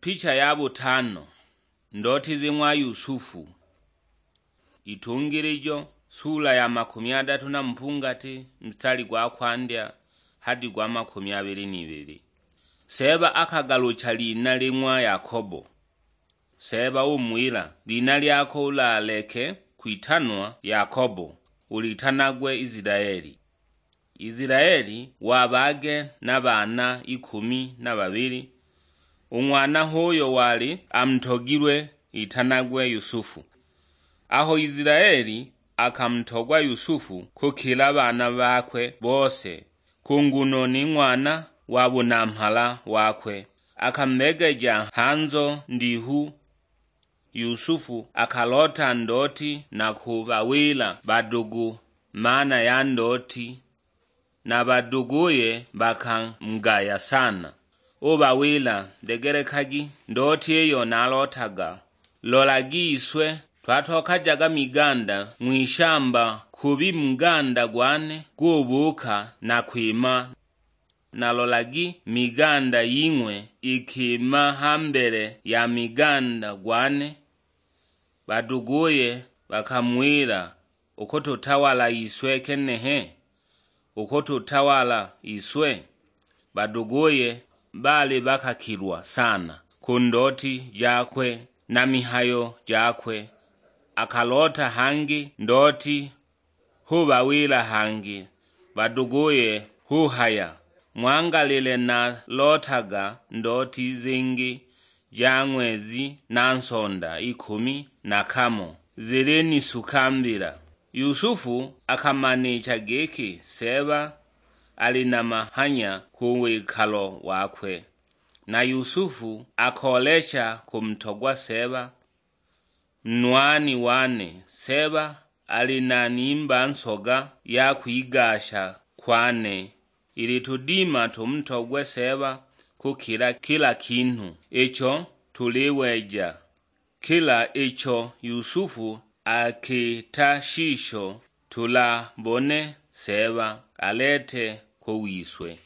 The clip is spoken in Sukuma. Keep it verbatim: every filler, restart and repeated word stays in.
Picha ya butano. Ndoti zi ng'wa Yusufu. Itungilijo, sula ya makumi adatu na mpungati, mstari gwa kwandya hadi gwa makumi abili n'ibili. Seeba akagalucha lina li ng'wa Yakobo. Seeba umuwila, "Lina lyako ulaleke kwitanwa Yakobo, ulitanagwe Isilaeli." Isilaeli wabaage na baana ikumi na babili. U ng'wana h'uyo wali amutogilwe itanagwe Yusufu. Aho Isilaeli akamutogwa Yusufu kukila baana bakwe bose, ku nguno ni ng'wana wa bunamhala wakwe, akamubegeja hanzo ndihu. Yusufu akaloota ndoti na kubawila badugu maana ya ndoti, na baduguye bakamugaya sana. Ubawila, "Degelekagi ndoti iyo nalotaga. Lolagi iswe twatokajaga miganda ng'wishamba, kubi muganda gwane gubuuka na kwima, na lolagi miganda ying'we ikima ha mbele ya miganda gwane." Baduguye bakamuwila, "Ukututawala iswe kenehe? Ukututawala iswe?" Baduguye baali bakakilwa sana ku ndoti jakwe na mihayo jakwe. Akaloota hangi ndoti, hubawila hangi baduguye, huhaya, "Ng'wangalile nalotaga ndoti zingi ja ng'wezi na nsonda ikumi na kamo zilinisuka mbila." Yusufu akamanicha giki Seeba ali na mahanya ku wikalo wakwe, na Yusufu akoolecha kumutogwa Seeba. Nwani wane, Seeba ali na nimba nsoga ya kwigasha kwane, ili tudima tumutogwe Seeba kukila kila kinhu icho tuliweja, kila icho Yusufu akita shisho tulabone Seeba alete ko wiswe.